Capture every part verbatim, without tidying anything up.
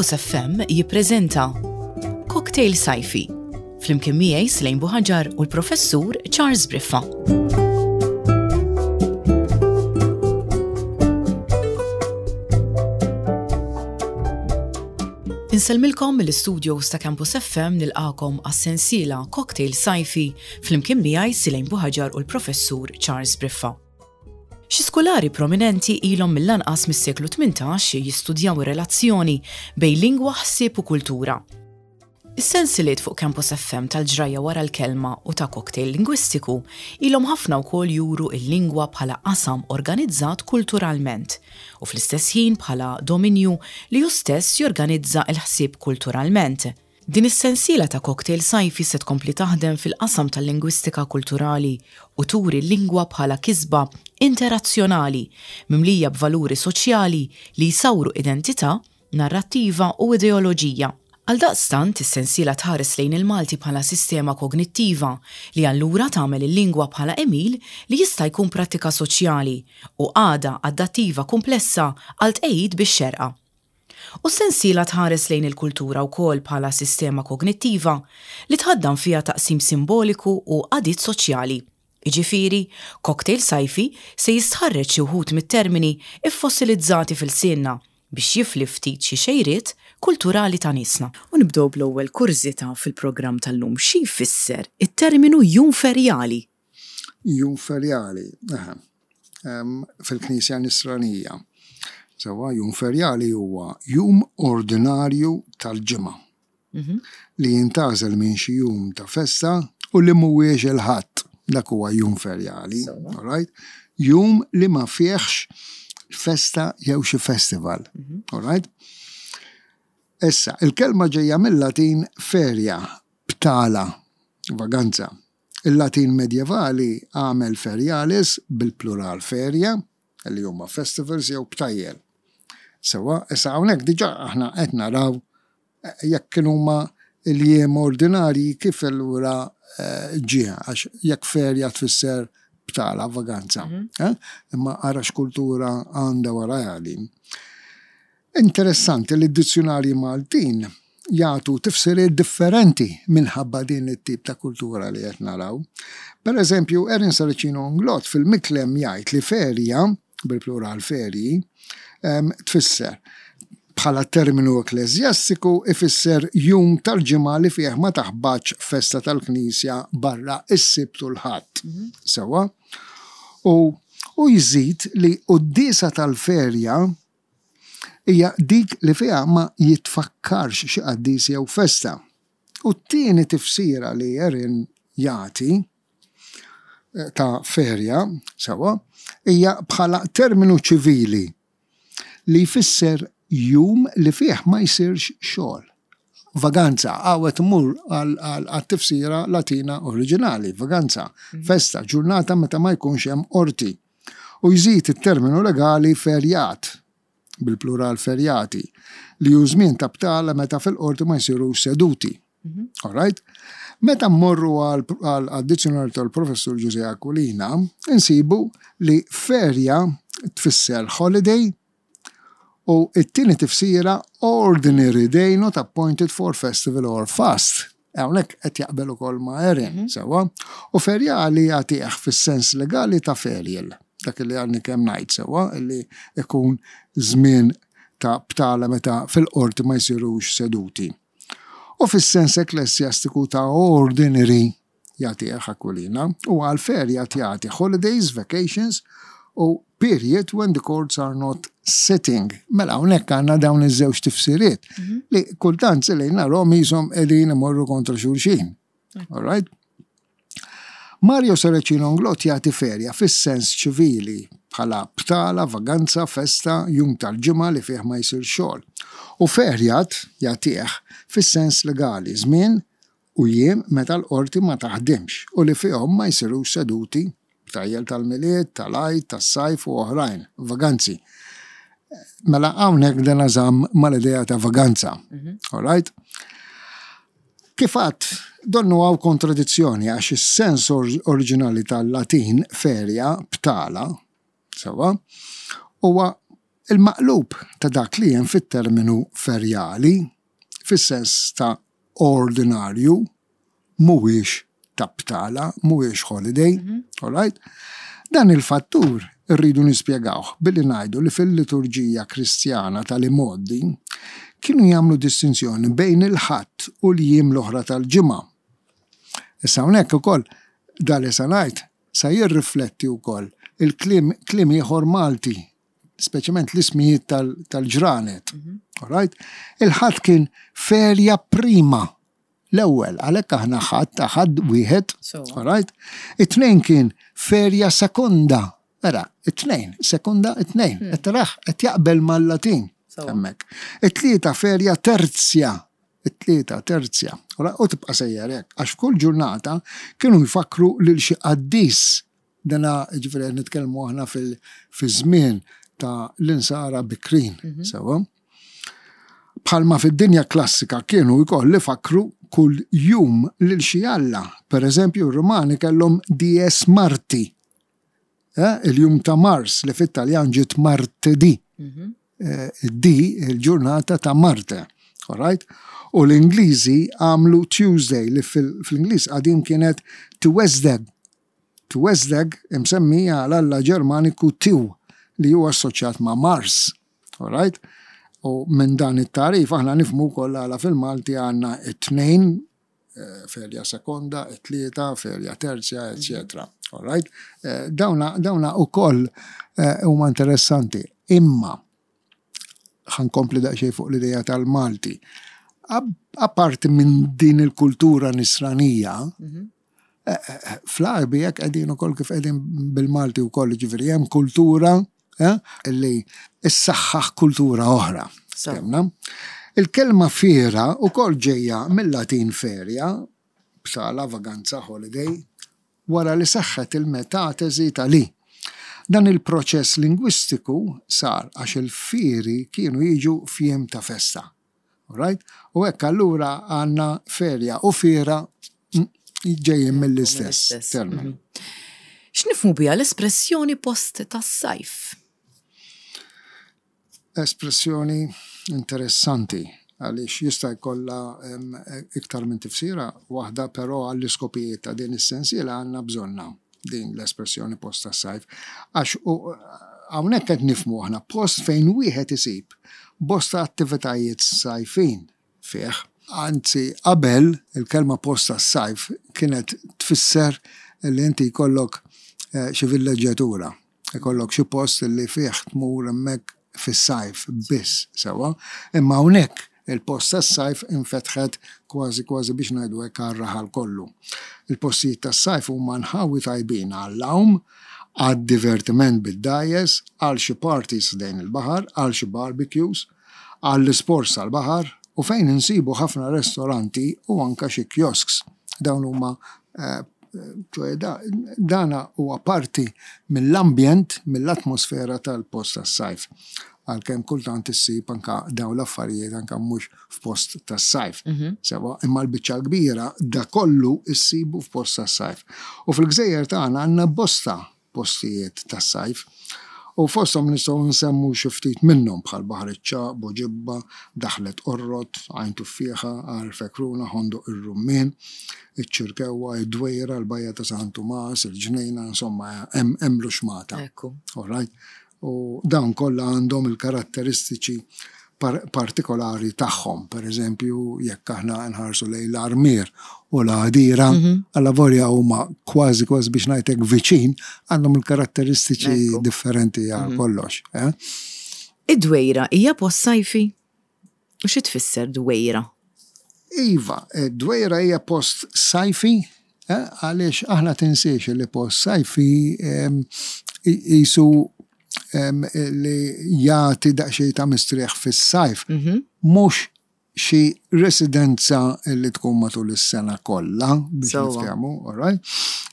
Campus F M jippreżenta Cocktail Sajfi flimkien miegħi, Slejn Buħaġar, u l-Professur Charles Briffa. Insellmilkom mill-studios ta' Campus F M, nilqagħkom għas-sensiela Cocktail Sajfi flimkien miegħi, Silejn Buħaġar, u l-Professur Charles Briffa. Xi skulari prominenti ilhom mill-anqas mis-seklu tmintax jistudjaw ir-relazzjoni bejn lingwa, ħsieb u kultura. Is-sensiliet fuq Campus F M tal-Ġrajja wara l-kelma u ta' Cocktail Lingwistiku ilhom ħafna wkoll juru il-lingwa bħala qasam organizzat kulturalment u fl-istess ħin bħala dominju li hu stess jorganizza il-ħsieb kulturalment. Din is-sensiela ta' Cocktail Sajfi se tkompli taħdem fil-qasam tal-lingwistika kulturali u turi l-lingwa bħala kisba interazzjonali mimlija b'valuri soċjali li jsawru identità, narrattiva u ideoloġija. Għal daqstant, is-sensiela tħares lejn il-Malti bħala sistema kognittiva li allura tagħmel il-lingwa bħala għemil li jista' jkun prattika soċjali u għada adattiva komplessa għal tqejjid bix-xerqa. U s-sensiela tħares lejn il-kultura wkoll bħala sistema kognittiva li tħaddan fiha taqsim simboliku u għadiet soċjali. Iġifiri, Cocktail Sajfi se jistħarreġ xi wħud mit-termini iffossilizzati f'ilsienna biex jifli ftit xi xejriet kulturali ta' niesna. U nibdew bl-ewwel kurżità fil-programm tal-lum: xi jfisser it-terminu jum ferjali? Jum ferjali, aha, Em, fil-Knisja Nisranija. Sewwa, jum ferjali huwa jum ordinarju tal-ġimgħa li jintgħażel minn xi jum ta' festa u li mhuwiex il-Ħadd. Dak huwa jum ferjali. Sewwa. All right? Jum li ma fihx festa jew xi festival. All right? Issa, il-kelma ġejja mill-Latin feria, btala, vaganza. Il-Latin medjevali għamel ferialis bil-plural feria, li huma festivals jew btajjel. Sewwa, issa hawnhekk diġà aħna qed naraw eh, jekk kienu huma il-jiem ordinarji, kif allura eh, ġie, għax jekk feria tfisser btala, vaganza. eh? Imma ara x'kultura għandha wara din. Interessanti li d-dizzjonarji Maltin jagħtu tifsiriet differenti minħabba din it-tip ta' kultura li qed naraw. Per eżempju, Erin Saracino Inglott fil-Miklem jgħid li feria, bil-plural ferji, em, tfisser bħala terminu ekklesjastiku ifisser jum tal-ġimgħa li fih ma taħbatx festa tal-Knisja barra is-Sibt u l-Ħadd. Sewwa? U, u jżid li quddiesa tal-ferja hija dik li fiha ma jitfakkarx xi qaddis jew festa. U t-tieni tifsira li Erin jagħti eh, ta' ferja, sewwa, hija bħala terminu ċivili li jfisser jum li fih ma jsirx xogħol. Vaganza, għawet mur għal-tifsira Latina oriġinali, vaganza, festa, ġurnata meta ma jkunx hemm qorti. U jżid it-terminu legali ferjat, bil-plural ferjati, li hu żmien ta' btala meta fil-qorti ma jsirux seduti. All right? Meta mmorru għal-dizzjonarju tal-Professur Giuseppe Aquilina, insibu li ferja tfisser holiday u it-tieni tifsira ordinary day not appointed for festival or fast. Hawnhekk qed jaqbel ukoll ma' Erin, sewwa. U ferjali jagħtih fis-sens legali ta' ferial. Dak li għadni kemm ngħid, sewwa, li ikun żmien ta' btala meta fil-qorti ma jsirux seduti. U fis-sens ekklesjastiku ta' ordinary jagħtih Aquilina, u għal ferja jagħti holidays, vacations u period when the courts are not sitting. Mela hawnhekk għandna dawn iż-żewġ tifsiriet li kultant se lejn narahom qishom qegħdin imorru kontra xulxin. All right? Mario Saracino Inglott jagħti ferja fis-sens ċivili bħala btala, vaganza, festa, jum tal-ġimgħa li fih ma jsir xogħol. U ferjat jagħtih fis-sens legali, żmien u jiem meta l-qorti ma taħdimx u li fihom ma jsirux seduti, btajjel tal-Milied, tal-Għid, tas-sajf u oħrajn, vaganzi. Mela hawnhekk dan żamm mal-idea ta' vaganza. All right? Kif għedt, donnu hawn kontradizzjoni għax is-sens or oriġinali tal-Latin feria, btala, sewwa, huwa Il-maqlub ta' dak li hemm fit-terminu ferjali, fis-sens ta' ordinarju, mhuwiex ta' btala, mhuwiex holiday, mm -hmm. all right? Dan il-fattur irridu nispjegawh billi ngħidu li fil-liturġija Kristjana tal-imgħoddi kienu jagħmlu distinzjoni bejn il-Ħadd u l-jiem l-oħra tal-ġimgħa. Issa hawnhekk ukoll dan li sa ngħid sa jirrifletti wkoll il-kliem kliem ieħor Malti, speċjalment l-ismijiet tal-ġranet. Mm -hmm. Right? Il-Ħadd kien feria prima l-ewwel, għalhekk aħna ħadd ħadd wieħed, right? It-tnejn kien feria seconda. Era, it-tnejn, seconda, it-tnejn. Hmm. Qed taraħ qed jaqbel mal-Latin. Hemmhekk. It-tlieta feria tertia. It-tlieta tertia. U tibqa' sejjer hekk, għax f'kull ġurnata kienu jfakru lil xi qaddis. Dana ġifieri nitkellmu aħna fil-żmien ta' l-insara bikrin, mhm. sewa. Bħalma fid-dinja klassika kienu jkoll fakru kull jum lil xi alla. Per eżempju, r-Rumani kellhom Dies Marti, eh, il-jum ta' Mars li fit-Taljan ġiet martedì. Mhm. Eh, di il-ġurnata ta' Marte. Alright? U l-Ingliżi għamlu Tuesday li fil-Ingliż qadim kienet Tuesday. Tuesday imsemmija għal alla Ġermaniku Tiw li huwa assoċjat ma' Mars. Alright? U minn dan it-tarif aħna nifhmu wkoll għala fil-Malti għandna it-tnejn, eh, feria seconda, it-tlieta, feria tertia, eccetera. Alright? Eh, dawna, dawna ukoll eh, huma interessanti. Imma ħa nkompli daqsxejn fuq l-ideja tal-Malti. Apparti minn din il-kultura nisranija, mhm. fl-Għarbi jekk qegħdin ukoll kif qegħdin bil-Malti wkoll ġifieri hemm kultura li issaħħaħ kultura oħra. Il-kelma fiera ukoll ġejja mill-Latin feria, btala, vaganza, holiday, wara li seħħet il-metatesi tal-i. Dan il-proċess lingwistiku sar għax il-fieri kienu jiġu f'jiem ta' festa. Right? U hekk allura għandna ferja u fiera ġejjin mill-istess terminu. Mhm. X'nifhmu biha l-espressjoni post tas-sajf? Espressjoni interessanti għaliex jista' jkollha iktar minn tifsira waħda, però għall-iskopijiet ta' din is-sensiela għandna bżonna din l-espressjoni post tas-sajf. Għax hawnhekk qed nifhmu aħna post fejn wieħed isib bosta attivitajiet sajfin fih. Anzi, qabel il-kelma post tas-sajf kienet tfisser li inti jkollok eh, xi villeġġjatura, jkollok xi post li fih tmur hemmhekk fis-sajf biss, sewa. Imma hawnhekk il-post tas-sajf infetħet kważi kważi biex ngħidu hekk għar-raħal kollu. Il-postijiet tas-sajf huma nħawi tajbin għall-għawm, għad-divertiment bid-dgħajjes, għal xi parties ħdejn il-baħar, għal xi barbecues, għall-isports tal-baħar u fejn insibu ħafna restoranti u anka xi kiosks. Dawn huma eh, ċoè dana huwa parti mill-ambjent, mill-atmosfera tal-post tas-sajf. Għalkemm kultant issib anka dawn l-affarijiet anka mhux f'post tas-sajf. Mhm. Sewa, imma l-biċċa l-kbira da kollu issibu f'post tas-sajf. U fil-gżejjer tagħna għandna bosta postijiet tas-sajf. U fosthom nistgħu nsemmu xi ftit minnhom bħal Baħar iċ-Ċagħaq, Buġibba, Daħlet Qorrot, Għajn Tuffieħa, Għar Fekruna, Ħondoq ir-Rummien, iċ-Ċirkewwa, id-Dwejra, l-Bajja ta' San Tumas, il-Ġnejna, insomma hemm l-uxmata. Ekku. All right? U dawn kollha għandhom il-karatteristiċi partikolari tagħhom. Per eżempju, jekk aħna nħarsu lejn l-Armier u l-Għadira, mhm. allavolja huma kważi kważi biex ngħidlek viċin, għandhom il-karatteristiċi differenti għal mhm. kollox. Eh? Id-dwejra hija post sajfi? U xi tfisser dwejra? Iva, id-dwejra hija post sajfi, eh, għaliex aħna tinsiex li post sajfi jisu li jagħti daqsxejn ta' mistrieħ fis-sajf, mhm. mhux xi residenza li tkun matul is-sena kollha biex niftehmu, all right?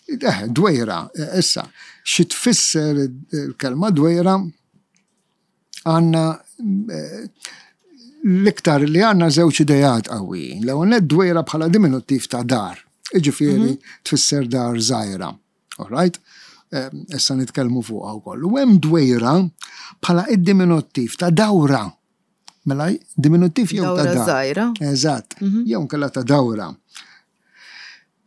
Eh, dwejra, eh, issa, xi tfisser il-kelma dwejra għandna eh, l-iktar li għandna żewġ idejat qawwijin. L-ewwel dwejra bħala diminuttiv ta' dar, jiġifieri mhm. tfisser dar żgħira, all right? issa nitkellmu fuqha wkoll. U hemm dwejra bħala id-diminuttiv ta' dawra. Mela diminuttiv jew ta' dawra żgħira. Eżatt, jew nkella ta' dawra.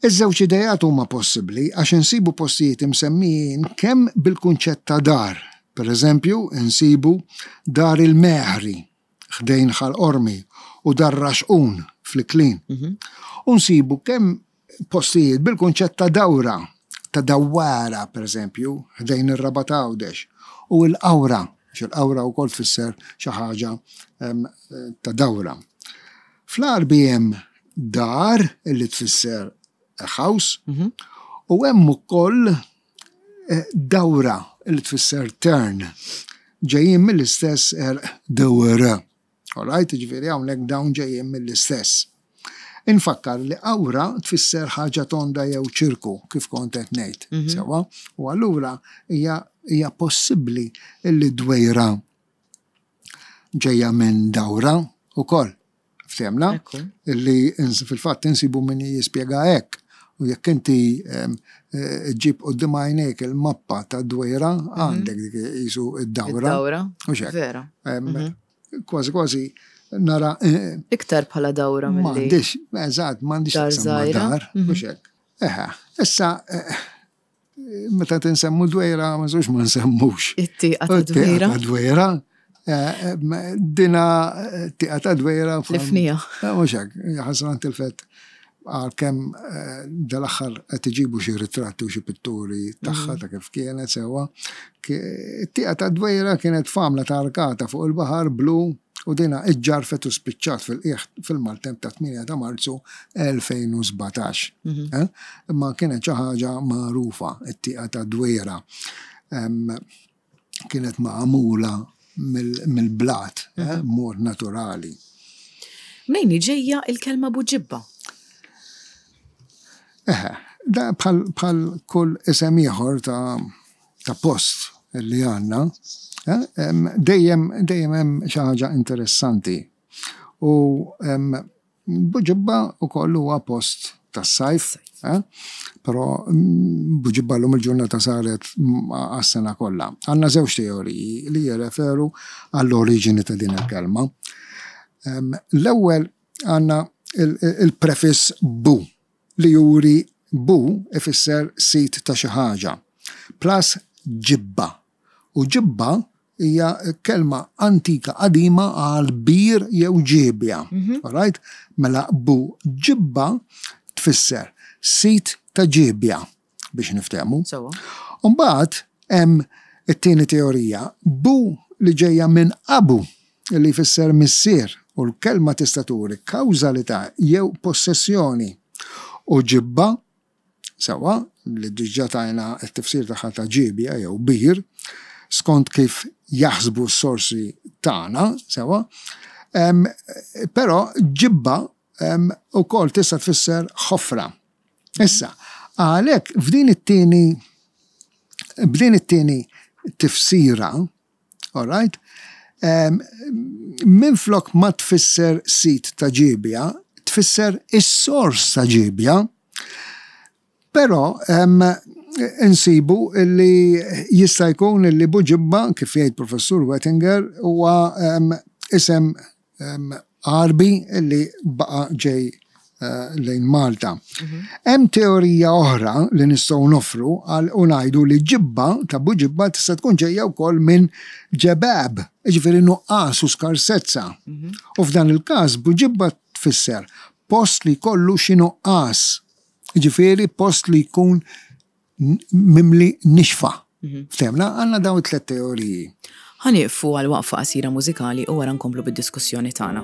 Iż-żewġ idejat huma possibbli għax insibu postijiet imsemmijin kemm bil-kunċett ta' dar. Per eżempju, insibu Dar il-Meħri ħdejn Ħal Qormi u Dar Raxqun fl-Iklin. U nsibu kemm postijiet bil-kunċett ta' dawra, ta' dawara, per eżempju, ħdejn ir-Rabat Għawdex, u l-qawra, għax il-qawra wkoll tfisser xi ħaġa ta' dawra. Fl-Għarbi hemm dar illi tfisser house, u hemm ukoll dawra illi tfisser turn, ġejjin mill-istess dawra. All right, ġifieri hawnhekk dawn ġejjin mill-istess. Infakkar li awra tfisser ħaġa tonda jew ċirku, kif kont qed ngħid. Sewa, u allura hija hija possibbli li dwejra ġejja minn dawra ukoll. Ftehmna? Illi fil-fatt insibu min jispjega hekk. U jekk inti ġib quddiem għajnejk il-mappa ta' dwejra, għandek dik qisu id-dawra. Id-dawra. Vera. Kważi kważi nara. Iktar bħala dawra mill-li. M'għandix, eżatt, m'għandix dar, mhux hekk. Eħe, issa meta tinsemmu dwejra, ma nżux ma nsemmux. It-tieqa ta' dwejra. Dwejra. Dina tieqa ta' dwejra. L-fnija. Mhux hekk, ħasran tilfet għalkemm dal-aħħar qed iġibu xi ritratti u xi pitturi tagħha ta' kif kienet sewwa. It-tieqa ta' dwejra kienet famla ta' arkata fuq il-baħar blu u dina iġġarfet u spiċċat fil-qiegħ fil-maltemp ta' tmienja ta' Marzu elfejn u sbatax. Imma kienet xi ħaġa magħrufa it-tieqa ta' dwejra. Kienet magħmula mill-blat, mod naturali. Mnejn ġejja il-kelma Buġibba? Eħe, da bħal kull isem ieħor ta' post li għandna, dejjem dejjem hemm xi ħaġa interessanti. U Buġibba wkoll huwa post tas-sajf, però Buġibba llum il-ġurnata saret għas-sena kollha. Għandna żewġ teoriji li jirreferu għall-oriġini ta' din il-kelma. L-ewwel għandna il-prefiss bu, li juri bu ifisser sit ta' xi ħaġa, plus ġibba. U ġibba hija kelma antika qadima għal bir jew ġiebja. All right? Mela bu ġibba tfisser sit ta' ġiebja biex niftehmu. U mbagħad hemm it-tieni teorija, bu li ġejja minn abu li jfisser missier, u l-kelma tista' turi kawżalità jew possessjoni. U ġibba, sewa, li diġà tajna t-tifsir tagħha ta' ġiebja jew bir, skont kif jaħsbu s-sorsi tagħna, sewa, però ġibba ukoll tista' tfisser ħofra. Issa, għalhekk f'din it-tieni b'din it-tieni tifsira, all right, minflok ma tfisser sit ta' ġiebja, tfisser is-sors ta' ġiebja, però insibu li jista' jkun li Buġibba, kif jgħid Professur Wettinger, huwa isem Għarbi li baqa' ġej lejn Malta. Hemm teorija oħra li nistgħu nofru għal u ngħidu li ġibba ta' Buġibba tista' tkun ġejja wkoll minn ġebab, jiġifieri nuqqas u skarsezza. U f'dan il-każ Buġibba tfisser post li jkollu xi nuqqas, jiġifieri post li jkun mimli nixfa. Ftehmna, għandna dawn it-tliet teoriji. Ħa nieqfu għal waqfa qasira mużikali u wara nkomplu bid-diskussjoni tagħna.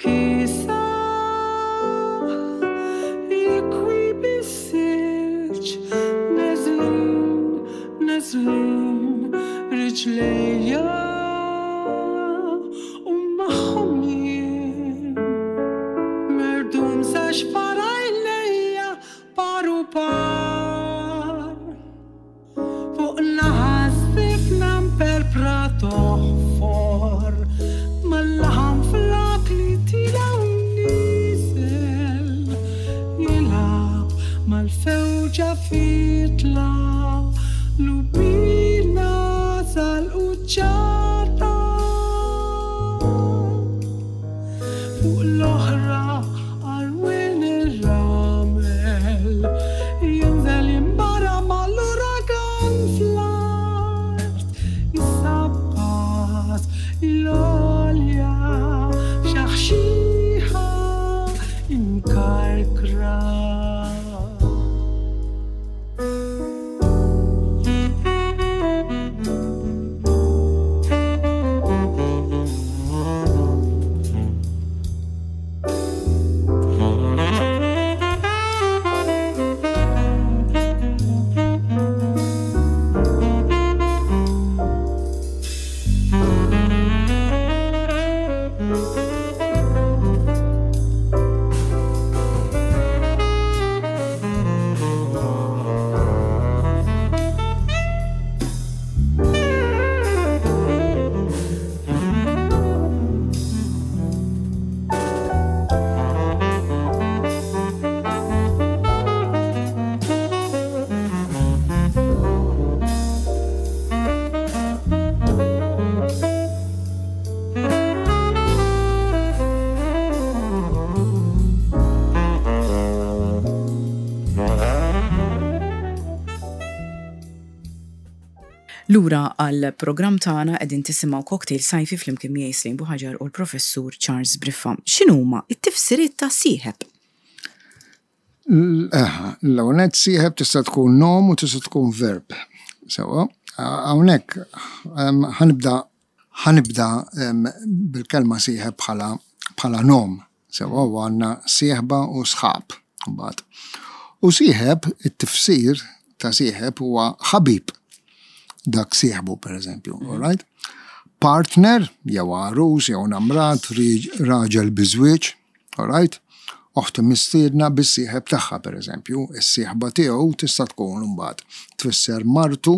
Kisa jikwi bissil. Mal-fewġa fitla lubina sal-uċċata fuq l-oħra għarwien ir-ramel jinżel jimbara mal-uragan fl-art jissabbat l-olja xaħxiħa imkarkra. Lura għal programm tagħna qegħdin tisimgħu Cocktail Sajfi flimkien miegħi Slim Buħaġar u l-Professur Charles Briffa. X'inhuma t-tifsiriet ta' sieħeb? L-ewwel sieħeb tista' tkun nom u tista' tkun verb. Sewa, hawnhekk ħanibda ħanibda bil-kelma sieħeb bħala bħala nom. Sewa, u għandna sieħba u sħab mbagħad. U sieħeb, it-tifsir ta' sieħeb huwa ħabib. Dak sieħbu, per eżempju, all right? Partner, jew għarus, jew namrat, raġel biżwieġ, all right? Oħti mistiedna bis-sieħeb tagħha, per eżempju, is-sieħba tiegħu tista' tkun imbagħad tfisser martu,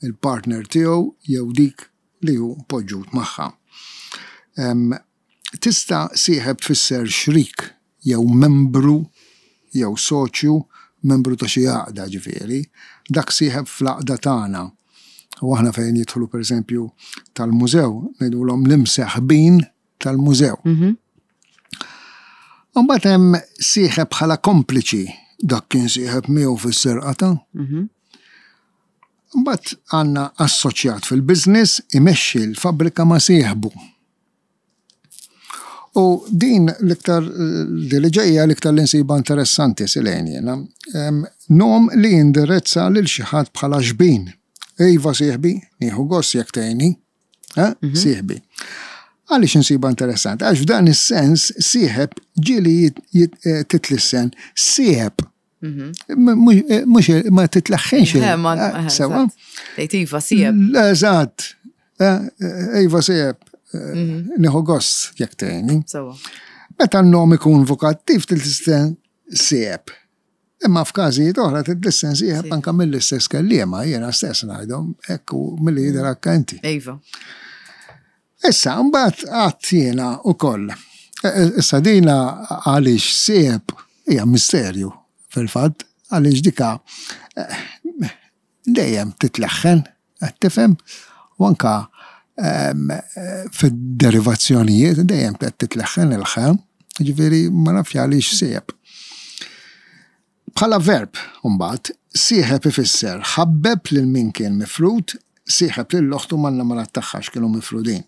il-partner tiegħu jew dik li hu poġġut magħha. Tista' sieħeb tfisser xrik jew membru jew soċju, membru ta' xi għaqda ġifieri, dak sieħeb fl-għaqda tagħna. U aħna fejn jidħlu per eżempju tal-mużew, ngħidulhom l-imseħbin tal-mużew. Imbagħad hemm sieħeb bħala kompliċi, dak kien sieħeb miegħu fis-serqata. Imbagħad għandna assoċjat fil-business imexxi l-fabbrika ma' sieħbu. U din l-iktar li ġejja l-iktar li nsiba interessanti silejn jiena, nom li jindirezza lil xi ħadd bħala xbin. Iva sieħbi, nieħu gost jekk tgħinni, sieħbi. Għaliex insiba interessanti? Għax f'dan is-sens sieħeb ġieli titlissen sieħeb. Mhux ma titleħħinx. Sewa. Tgħid iva sieħeb. Eżatt. Iva sieħeb. Nieħu gost jekk tgħinni. Sewa. Meta n-nom ikun vokattiv titlissen sieħeb. Imma f'każijiet oħra titlissen sieħeb anke mill-istess kelliema, jiena stess ngħidhom, hekk u milli jidher anke inti. Iva. Issa, mbagħad qatt jiena wkoll. Issa dina għaliex sieħeb hija misterju fil-fatt, għaliex dika dejjem titleħħen, qed tifhem, u anke fid-derivazzjonijiet dejjem qed titleħħen il-ħem, ġifieri ma nafx għaliex sieħeb. Bħala verb, mbagħad, sieħeb ifisser ħabbeb lil min kien mifrud, sieħeb lil oħtu man-namarat tagħha x'kienu mifrudin.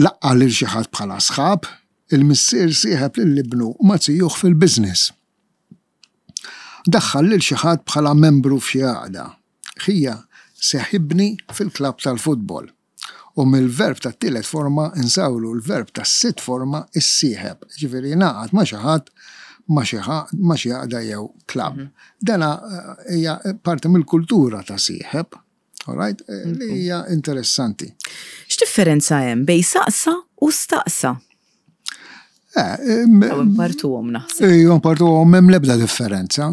Laqqa lil xi ħadd bħala sħab, il-missier sieħeb lil ibnu ma tijuh fil-business. Daħħal lil xi ħadd bħala membru f'xi għaqda. Ħija seħibni fil-klabb tal-futbol. U mill-verb tat-tielet forma insawlu l-verb tas-sitt forma issieħeb. Ġifieri ngħaqad ma' xi ħadd ma' xi ħa-, ma' xi għaqda jew klabb. Dana hija parti mill-kultura ta' sieħeb, all right? Li hija interessanti. X'differenza hemm bejn saqsa u staqsa? Eh, em, Jew impartuhom naħseb. Ejju, impartuhom m'hemm l-ebda differenza.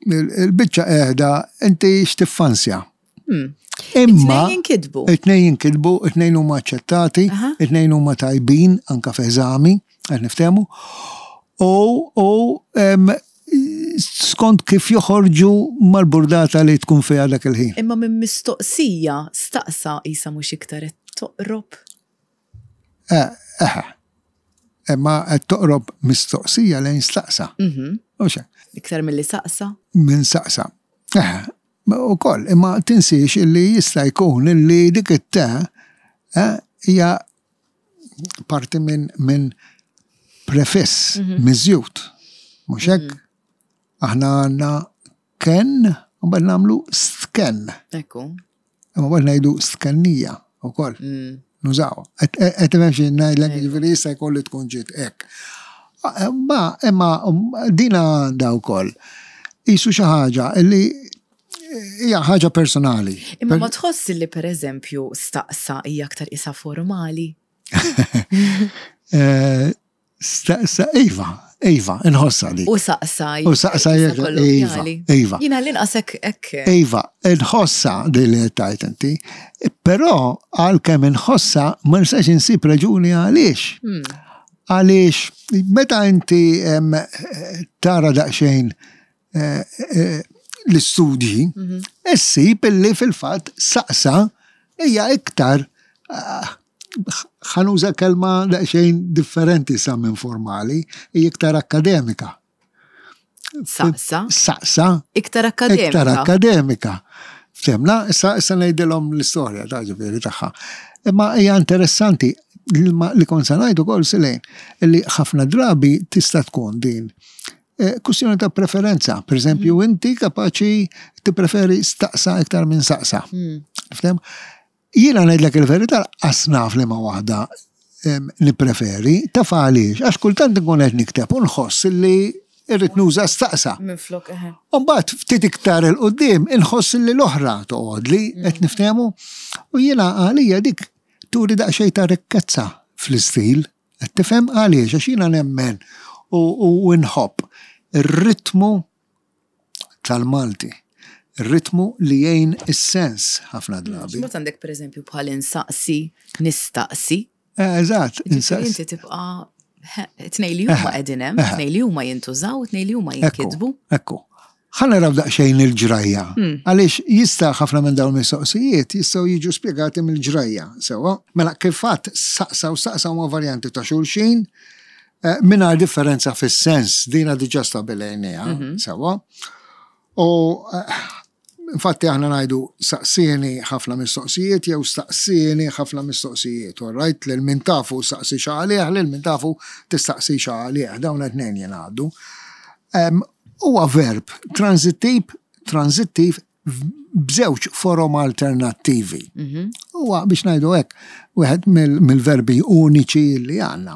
Il-biċċa qiegħda inti x'tiffansja. Hmm. Imma It-tnejn jinkitbu. It-tnejn jinkitbu, it-tnejn huma aċċettati, Aha. it-tnejn huma tajbin anke f'eżami, qed niftehmu. U, u, em, Skont kif joħorġu mal-burdata li tkun fiha dak il-ħin. Imma minn mistoqsija staqsa isa mhux iktar qed toqrob. Eh, eh. Imma qed toqrob mistoqsija lejn staqsa. Mhm. Mhux hekk? Iktar milli saqsa. Minn saqsa. Eh, ukoll, imma tinsiex illi jista' jkun illi dik it-te eh, hija parti minn min prefiss, miżjud. Mhux hekk? Aħna għandna ken, u mbagħad nagħmlu stken. Ekku. Imma mbagħad ngħidu stkennija ukoll. Mm. Nużaw. Qed tifhem xi ngħidlek, jiġifieri jista' jkun li tkun ġiet hekk. Ma imma um, dina għandha wkoll. Isu xi ħaġa li hija ħaġa personali. Imma ma tħoss li per eżempju staqsa hija aktar isa formali. Eh, Staqsa, iva, iva, inħossa dik. U saqsa. U saqsa isa jekk- iva, kollokkjali. iva. Jiena l-inqas hekk hekk. Iva, inħossa din li tajt inti, però għalkemm inħossa ma nistax insib raġuni għaliex. Hmm. Għaliex, meta inti em, tara daqsxejn eh, eh, l-istudji, issib illi fil-fatt saqsa hija iktar ah, ħa nuża kelma daqsxejn differenti sa minn formali, hija iktar akademika. Saqsa. Saqsa Iktar akademika. iktar akademika. Ftemna, issa issa ngħidilhom l-istorja ta' ġifieri tagħha. Imma hija interessanti li ma- li kont sa ngħidu wkoll Silejn li ħafna drabi tista' tkun din eh, kwestjoni ta' preferenza. Per eżempju, inti kapaċi tippreferi staqsa iktar minn saqsa. Mm. Ftem? Jiena ngħidlek il-verità lanqas naf liema waħda em, nippreferi, taf għaliex, għax kultant nkun qed nikteb u nħoss li irrid nuża staqsa. Minn flok, eħe. Umbagħad ftit iktar 'il quddiem inħoss li l-oħra toqgħod li qed niftehmu u jiena għalija dik turi daqsxejn ta' rikkezza fl-istil. Qed tifhem għaliex għax jiena nemmen u, u nħobb ir-ritmu tal-Malti. Ir-ritmu li jgħin is-sens ħafna drabi. X'mod għandek per eżempju bħal insaqsi, nistaqsi. Eh, Eżatt, Ġifieri insaqsi. inti tibqa' tnej li huma qegħdin hemm, tnej li huma jintużaw, tnej li huma jinkitbu. Ekku. Ħa naraw daqsxejn il-ġrajja. Għaliex jista' ħafna minn dawn il-mistoqsijiet jistgħu jiġu spjegati mill-ġrajja. Sewa, mela kif fatt saqsa u staqsa huma varjanti ta' xulxin eh, mingħajr differenza fis-sens, dina diġà stabilejniha, sewa. U eh, infatti aħna ngħidu saqsieni ħafna mistoqsijiet jew staqsieni ħafna mistoqsijiet. All right, lil min tafu saqsi għalih, lil min tafu tistaqsi għalih, dawn it-tnejn jingħaddu. Em, Huwa verb transittiv, transittiv b'żewġ forom alternattivi. Huwa biex ngħidu hekk, wieħed mill- mill-verbi uniċi li għandna.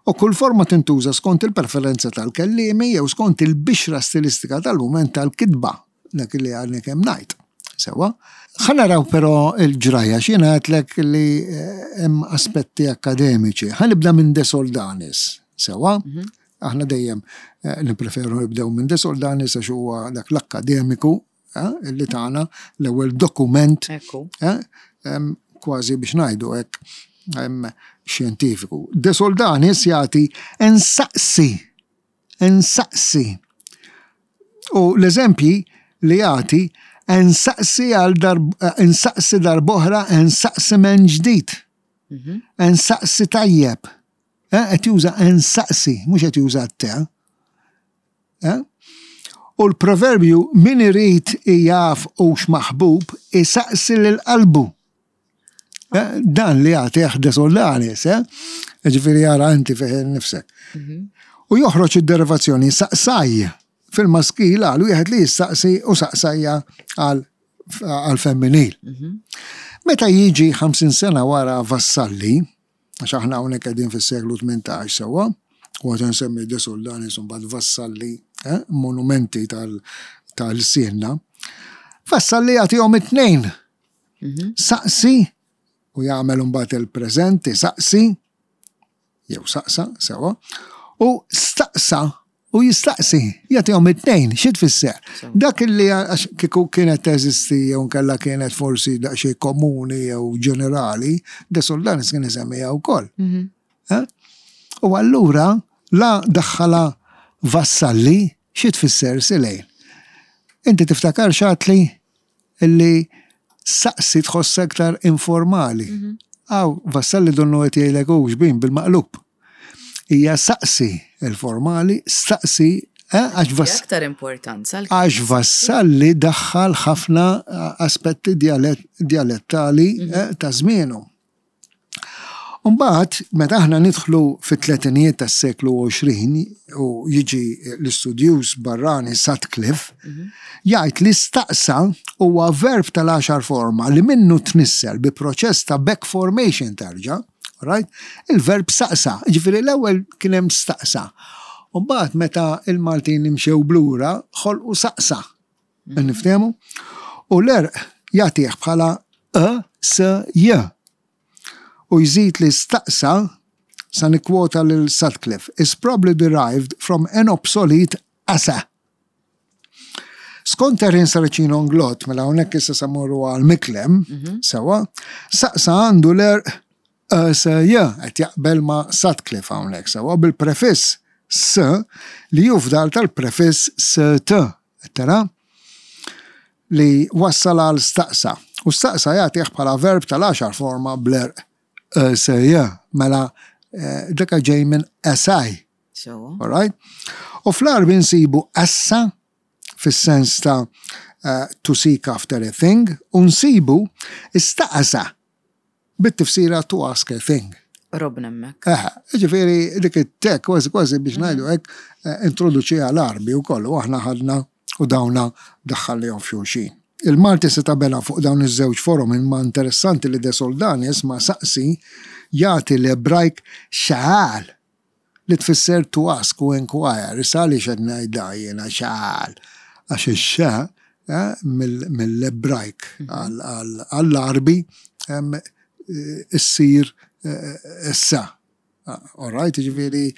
U kull forma tintuża skont il-preferenza tal-kellimi jew skont il-bixra stilistika tal-mument tal-kitba, dak li għadni kemm ngħid. Sewa. Ħa naraw però il-ġrajja, x'jiena għedtlek li eh, hemm aspetti akademiċi. Ħa nibda minn De Soldanis. Sewa. Aħna dejjem eh, nippreferu nibdew minn De Soldanis għax huwa dak l-akkademiku eh, li tagħna l-ewwel dokument Ekku. eh, em, kważi biex ngħidu hekk em, xjentifiku. De Soldanis jagħti ensaqsi, ensaqsi. U l-eżempji li jagħti ensaqsi għal darb, ensaqsi darb'oħra, ensaqsi minn ġdid. Ensaqsi tajjeb. Eh, Qed juża ensaqsi, mhux qed juża t-te. Eh? U l-proverbju min irid jaf hux maħbub isaqsi lil qalbu. Eh, Dan li jagħti De Soldanis, eh? Ġifieri jara inti fih nifsek. U joħroġ id-derivazzjoni saqsaj fil-maskil għal wieħed li jistaqsi u saqsajja għal għal femminil. Meta jiġi ħamsin sena wara Vassalli, għax aħna hawnhekk qegħdin fis-seklu tmintax sewwa, u għad nsemmi De Soldanis u mbagħad Vassalli, eh, monumenti tal- tal-sienna, Vassalli jagħtihom it-tnejn. Saqsi u jagħmel mbagħad il-preżenti saqsi jew saqsa sewa u staqsa u jistaqsi jagħtihom it-tnejn. Xi tfisser? Dak illi għax kieku kienet teżisti jew nkella kienet forsi daqsxejn komuni jew ġenerali, De Soldanis kien isemmiha wkoll. Eh? U allura la daħħala Vassalli Xi tfisser, Silejn? Inti tiftakar x'għedtli illi saqsi tħoss aktar informali. Aw, Vassalli donnu qed jgħidlek u xbin bil-maqlub. Hija saqsi il-formali, staqsi, eh, għax Vass Aktar importanza. Għax Vassalli daħħal ħafna eh, aspetti dialettali eh, ta' żmienu. Umbagħad, meta aħna nidħlu fit-tletinijiet tas-seklu għoxrin u jiġi l-istudjuż barrani Sutcliffe, jgħid li staqsa huwa verb tal-għaxar forma li minnu tnissel bi proċess ta' back formation terġa', right? Il-verb saqsa, ġifieri l-ewwel kien hemm staqsa. Umbagħad meta il-Maltin imxew b'lura ħolqu saqsa. Niftehmu? U l-għerq jagħtih bħala E S J. U jżid li staqsa, sa nikkwota lil Sutcliffe, is probably derived from an obsolete asa. Skont Erin Saracino Englot, mela hawnhekk issa sa mmorru għal Miklem, sewa, saqsa għandu l-għerq S J, qed jaqbel ma' Sutcliffe hawnhekk, sewa, bil-prefiss S li jufdal tal-prefiss S T, tara? Li wassal għal staqsa. U staqsa jagħtih bħala verb tal-għaxar forma bl-għerq S J, mela eh, daka ġej minn asaj. So. All right? U fl-Għarbi nsibu assa fis-sens ta' uh, to seek after a thing, u nsibu istaqsa bit-tifsira to ask a thing. Robna hemmhekk. Eħe, ġifieri dik it-tek kważi kważi biex ngħidu hekk eh, introduċiha l-Għarbi u kollu, aħna ħadna u dawna daħħallihom f'xulxin. Il-Malti se tabela fuq dawn iż-żewġ forom, imma interessanti li De Soldanis ma saqsi jagħti l-Ebrajk xaħal li tfisser to ask u inquire. Issa għaliex qed ngħidha jiena xaħal? Għax ix-xa eh, mill-Ebrajk għall-Għarbi issir eh, issa. All right, ġifieri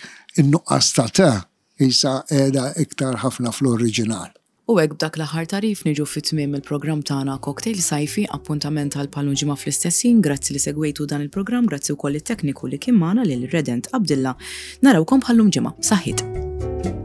in-nuqqas ta' ta' jisa qiegħda iktar ħafna fl-oriġinal. U hekk b'dak l-aħħar tagħrif niġu fi tmiem il-programm tagħna Cocktail Sajfi, appuntament għal bħal ġimgħa fl-istess ħin. Grazzi li segwejtu dan il-programm, grazzi wkoll it-tekniku li kien magħna lil Redent Abdilla. Narawkom bħal ġimgħa. Saħħit.